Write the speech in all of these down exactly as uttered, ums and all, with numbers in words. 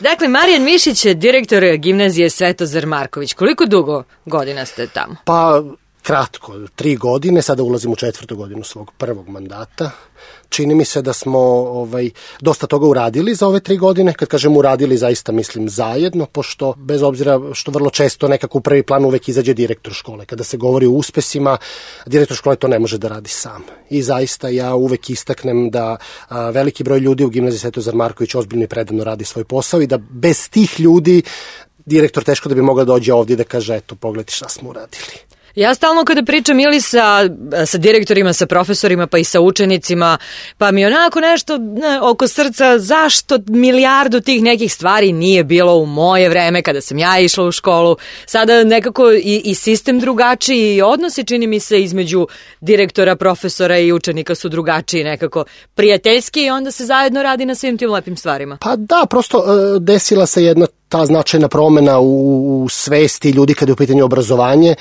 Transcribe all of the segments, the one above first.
Dakle, Marijan Mišić je direktor gimnazije Svetozar Marković. Koliko dugo godina ste tamo? Pa, kratko, tri godine, sada ulazim u četvrtu godinu svog prvog mandata. Čini mi se da smo ovaj, dosta toga uradili za ove tri godine. Kad kažem uradili, zaista mislim zajedno, pošto bez obzira što vrlo često nekako u prvi plan uvek izađe direktor škole. Kada se govori o uspesima, direktor škole to ne može da radi sam. I zaista ja uvek istaknem da a, veliki broj ljudi u gimnaziji Svetozar Marković ozbiljno i predano radi svoj posao i da bez tih ljudi direktor teško da bi mogao dođe ovdje da kaže eto, pogledaj šta smo uradili. Ja stalno kada pričam ili sa, sa direktorima, sa profesorima, pa i sa učenicima, pa mi onako nešto ne, oko srca, zašto milijardu tih nekih stvari nije bilo u moje vreme kada sam ja išla u školu. Sada nekako i, i sistem drugačiji i odnosi, čini mi se, između direktora, profesora i učenika su drugačiji, nekako prijateljski i onda se zajedno radi na svim tim lepim stvarima. Pa da, prosto desila se jedna ta značajna promena u, u svesti ljudi kada je u pitanju obrazovanje.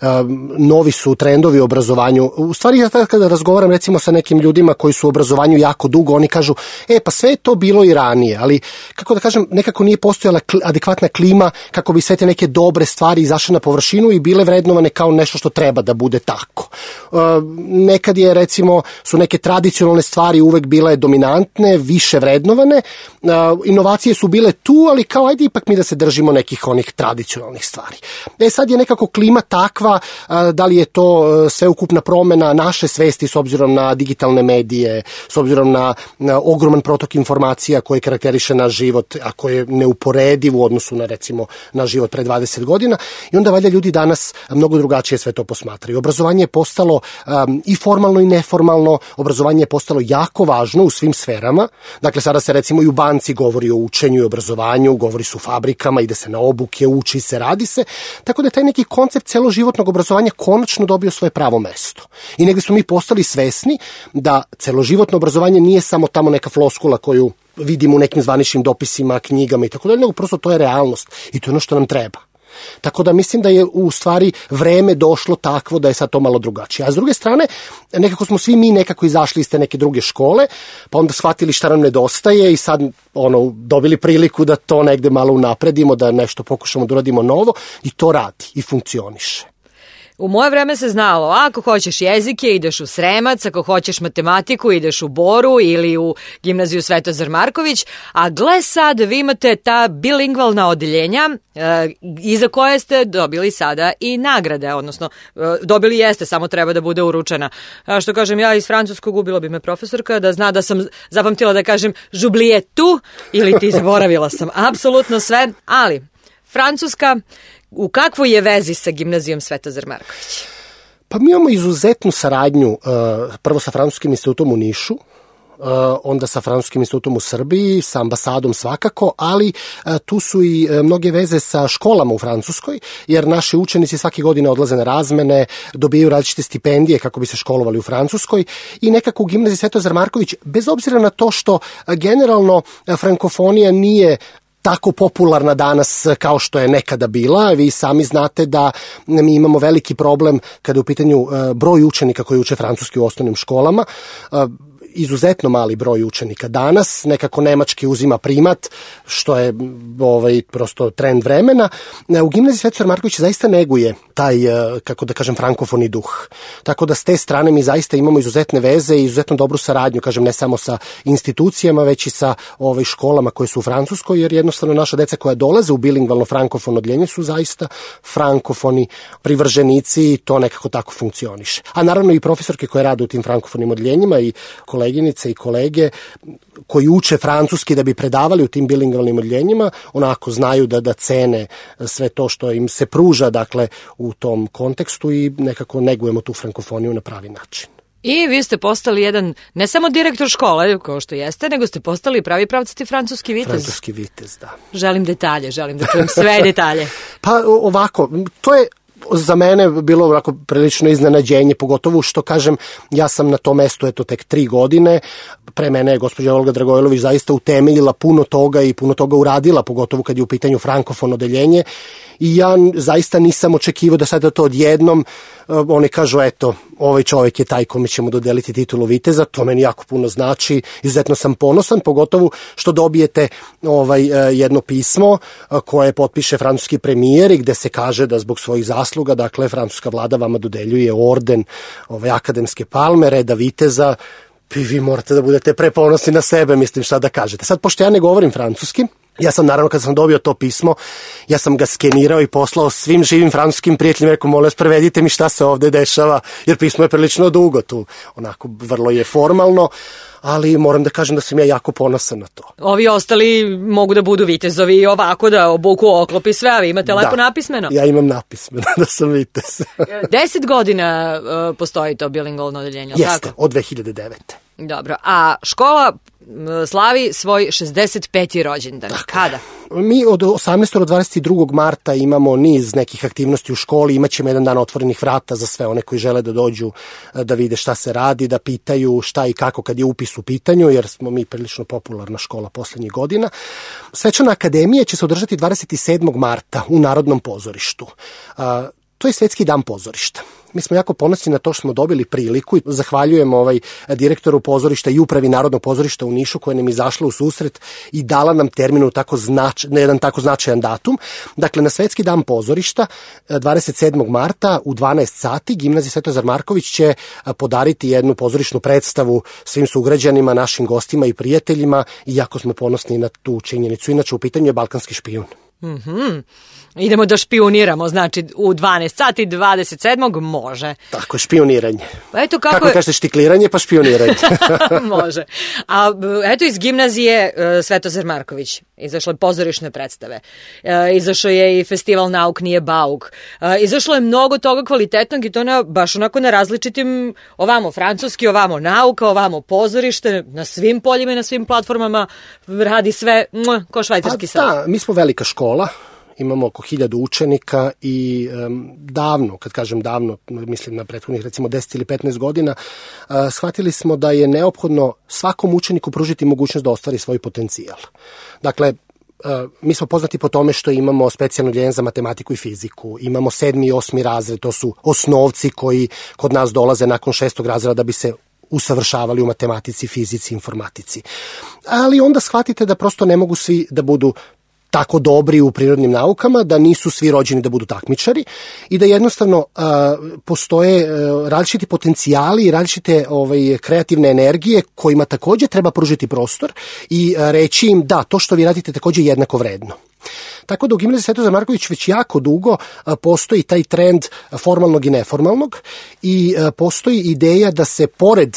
Um, novi su trendovi u obrazovanju. U stvari, ja kada razgovaram recimo sa nekim ljudima koji su u obrazovanju jako dugo, oni kažu, e pa sve je to bilo i ranije, ali kako da kažem, nekako nije postojala kl- adekvatna klima kako bi sve te neke dobre stvari izašle na površinu i bile vrednovane kao nešto što treba da bude tako. Uh, nekad je recimo, su neke tradicionalne stvari uvek bile dominantne, više vrednovane, uh, inovacije su bile tu, ali kao ajde ipak mi da se držimo nekih onih tradicionalnih stvari. E sad je nekako klima takva, da li je to sveukupna promena naše svesti s obzirom na digitalne medije, s obzirom na, na ogroman protok informacija koji karakteriše naš život, a koji je neuporediv u odnosu na recimo na život pre dvadeset godina i onda valjda ljudi danas mnogo drugačije sve to posmatraju. Obrazovanje je postalo um, i formalno i neformalno, obrazovanje je postalo jako važno u svim sferama. Dakle, sada se recimo i u banci govori o učenju i obrazovanju, govori su fabrikama, ide se na obuke, uči se, radi se, tako da je taj neki koncept celoživotnog obrazovanja konačno dobio svoje pravo mesto. I negde smo mi postali svesni da celoživotno obrazovanje nije samo tamo neka floskula koju vidimo u nekim zvaničnim dopisima, knjigama i tako dalje, nego prosto to je realnost i to je ono što nam treba. Tako da mislim da je u stvari vreme došlo takvo da je sad to malo drugačije. A s druge strane, nekako smo svi mi nekako izašli iz te neke druge škole, pa onda shvatili šta nam nedostaje i sad ono, dobili priliku da to negde malo unapredimo, da nešto pokušamo da uradimo novo i to radi i funkcioniše. U moje vreme se znalo, ako hoćeš jezike, ideš u Sremac, ako hoćeš matematiku, ideš u Boru ili u gimnaziju Svetozar Marković, a gle sad, vi imate ta bilingvalna odeljenja e, iza koje ste dobili sada i nagrade, odnosno e, dobili jeste, samo treba da bude uručena. A što kažem, ja iz francuskog ubila bi me profesorka da zna da sam zapamtila da kažem žublije tu ili ti zaboravila sam apsolutno sve, ali Francuska, u kakvoj je vezi sa gimnazijom Svetozar Marković? Pa mi imamo izuzetnu saradnju, prvo sa Francuskim institutom u Nišu, onda sa Francuskim institutom u Srbiji, sa ambasadom svakako, ali tu su i mnoge veze sa školama u Francuskoj, jer naši učenici svake godine odlaze na razmene, dobijaju različite stipendije kako bi se školovali u Francuskoj i nekako u gimnaziji Svetozar Marković, bez obzira na to što generalno frankofonija nije tako popularna danas kao što je nekada bila. Vi sami znate da mi imamo veliki problem kada je u pitanju broj učenika koji uče francuski u osnovnim školama. Izuzetno mali broj učenika danas, nekako nemački uzima primat, što je ovaj, prosto trend vremena. U gimnaziji Svetozar Marković zaista neguje taj, kako da kažem, frankofoni duh. Tako da s te strane mi zaista imamo izuzetne veze i izuzetno dobru saradnju, kažem, ne samo sa institucijama, već i sa ovaj, školama koje su u Francuskoj, jer jednostavno naša deca koja dolaze u bilingvalno frankofono odeljenje su zaista frankofoni privrženici i to nekako tako funkcioniše. A naravno i profesorke koje rade u tim frankofonim odeljenjima i koleginice i kolege koji uče francuski da bi predavali u tim bilingvalnim odeljenjima, onako znaju da da cene sve to što im se pruža, dakle, u tom kontekstu i nekako negujemo tu frankofoniju na pravi način. I vi ste postali jedan, ne samo direktor škole, kao što jeste, nego ste postali pravi pravcati francuski vitez. Francuski vitez, da. Želim detalje, želim da čujem sve detalje. Pa ovako, to je za mene bilo ovako prilično iznenađenje, pogotovo što kažem, ja sam na tom mestu eto tek tri godine, pre mene je gospođa Olga Dragojlović zaista utemeljila puno toga i puno toga uradila, pogotovo kad je u pitanju frankofon odeljenje i ja zaista nisam očekivao da sada to odjednom, oni kažu eto, ovaj čovjek je taj kome ćemo dodeliti titulu viteza, to meni jako puno znači, izuzetno sam ponosan, pogotovo što dobijete ovaj jedno pismo koje potpiše francuski premijer i gde se kaže da zbog svojih zasluga, dakle, francuska vlada vama dodeljuje orden ovaj akademske palme, reda viteza, i vi morate da budete preponosni na sebe, mislim, šta da kažete. Sad, pošto ja ne govorim francuski, ja sam, naravno, kad sam dobio to pismo, ja sam ga skenirao i poslao svim živim francuskim prijateljima, rekao, molim vas, prevedite mi šta se ovde dešava, jer pismo je prilično dugo tu, onako, vrlo je formalno, ali moram da kažem da sam ja jako ponosan na to. Ovi ostali mogu da budu vitezovi i ovako da obuku oklop i sve, a vi imate da, lepo napismeno. Ja imam napismeno da sam vitez. Deset godina uh, postoji to bilingualno odeljenje, jeste, tako? od dve hiljade devete. Dobro, a škola slavi svoj šezdeset peti rođendan. Kada? Mi od osamnaestog do dvadeset drugog marta imamo niz nekih aktivnosti u školi, imat ćemo jedan dan otvorenih vrata za sve one koji žele da dođu da vide šta se radi, da pitaju šta i kako kad je upis u pitanju, jer smo mi prilično popularna škola poslednjih godina. Svečana akademija će se održati dvadeset sedmog marta u Narodnom pozorištu. To je Svetski dan pozorišta. Mi smo jako ponosni na to što smo dobili priliku i zahvaljujemo ovaj direktoru pozorišta i upravi Narodnog pozorišta u Nišu koja nam izašla u susret i dala nam termin tako znač, na jedan tako značajan datum. Dakle, na Svetski dan pozorišta dvadeset sedmog marta u dvanaest sati Gimnazija Svetozar Marković će podariti jednu pozorišnu predstavu svim sugrađanima, našim gostima i prijateljima i jako smo ponosni na tu činjenicu. Inače, u pitanju je Balkanski špijun. Mhm. Idemo da špioniramo, znači u dvanaest sati dvadeset sedmog može. Tako je, špioniranje. Eto kako, kako je... kažete, štikliranje pa špioniranje. Može. A eto iz gimnazije uh, Svetozar Marković izašle pozorišne predstave. Uh, izašao je i festival Nauk nije bauk. Uh, izašlo je mnogo toga kvalitetnog i to na, baš onako na različitim, ovamo francuski, ovamo nauka, ovamo pozorište, na svim poljima i na svim platformama radi sve mh, ko švajcarski sad. Da, mi smo velika škola. Imamo oko hiljadu učenika i um, davno, kad kažem davno, mislim na prethodnih recimo deset ili petnaest godina, uh, shvatili smo da je neophodno svakom učeniku pružiti mogućnost da ostvari svoj potencijal. Dakle, uh, mi smo poznati po tome što imamo specijalno odeljenje za matematiku i fiziku, imamo sedmi i osmi razred, to su osnovci koji kod nas dolaze nakon šestog razreda da bi se usavršavali u matematici, fizici, informatici. Ali onda shvatite da prosto ne mogu svi da budu tako dobri u prirodnim naukama, da nisu svi rođeni da budu takmičari i da jednostavno uh, postoje uh, različiti potencijali i različite ovaj, kreativne energije kojima takođe treba pružiti prostor i uh, reći im da, to što vi radite takođe je jednako vredno. Tako da u Gimnaziji Svetozar Marković već jako dugo uh, postoji taj trend formalnog i neformalnog i uh, postoji ideja da se pored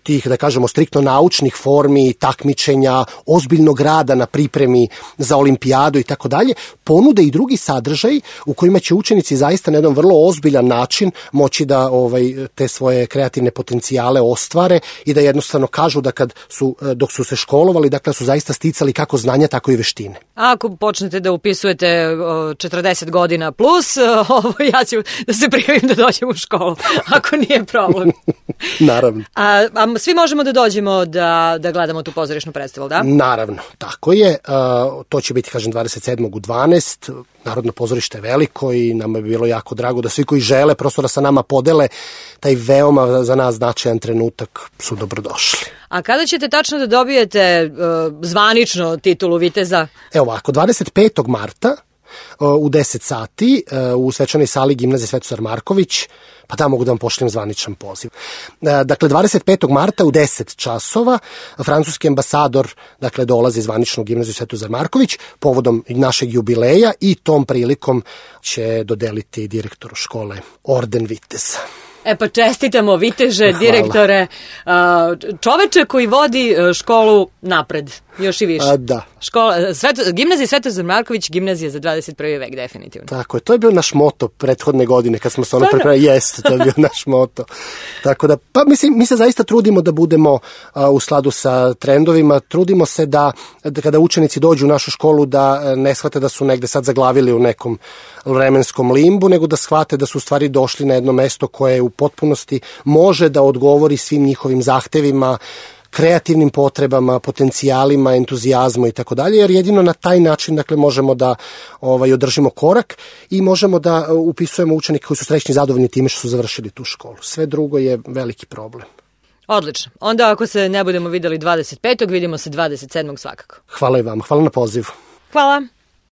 tih, da kažemo, striktno naučnih formi, takmičenja, ozbiljnog rada na pripremi za olimpijadu i tako dalje, ponude i drugi sadržaj u kojima će učenici zaista na jedan vrlo ozbiljan način moći da ovaj, te svoje kreativne potencijale ostvare i da jednostavno kažu da kad su, dok su se školovali, dakle su zaista sticali kako znanja, tako i veštine. Ako počnete da upisujete četrdeset godina plus, ovo, ja ću da se prijavim da dođem u školu, ako nije problem. Naravno. A, a svi možemo da dođemo da, da gledamo tu pozorišnu predstavu, da? Naravno, tako je. Uh, to će biti, kažem, dvadeset sedmog u dvanaest. Narodno pozorište je veliko i nama bi bilo jako drago da svi koji žele prosto da sa nama podele taj veoma za nas značajan trenutak su dobrodošli. A kada ćete tačno da dobijete uh, zvanično titulu viteza? Evo ovako, dvadeset petog marta u deset sati u svečanoj sali Gimnazije Svetozar Marković, pa da mogu da vam pošaljem zvaničan poziv. Dakle, dvadeset petog marta u deset časova francuski ambasador dakle, dolazi zvanično u Gimnaziju Svetozar Marković povodom našeg jubileja i tom prilikom će dodeliti direktoru škole orden viteza. E pa čestitamo viteže, direktore, čoveče koji vodi školu napred, još i više. A, da. Škola, Sveto, gimnazija Svetozar Marković, gimnazija za dvadeset prvi vek, definitivno. Tako je, to je bio naš moto prethodne godine kad smo se ono pripremili, jeste, to je bio naš moto. Tako da, pa mislim, mi se zaista trudimo da budemo a, u skladu sa trendovima, trudimo se da, da kada učenici dođu u našu školu da ne shvate da su negde sad zaglavili u nekom vremenskom limbu, nego da shvate da su u stvari došli na jedno mesto koje u potpunosti može da odgovori svim njihovim zahtevima kreativnim potrebama, potencijalima, entuzijazmu i tako dalje, jer jedino na taj način dakle možemo da ovaj održimo korak i možemo da upisujemo učenike koji su srećni i zadovoljni time što su završili tu školu. Sve drugo je veliki problem. Odlično. Onda ako se ne budemo videli dvadeset petog vidimo se dvadeset sedmog svakako. Hvala i vam. Hvala na pozivu. Hvala.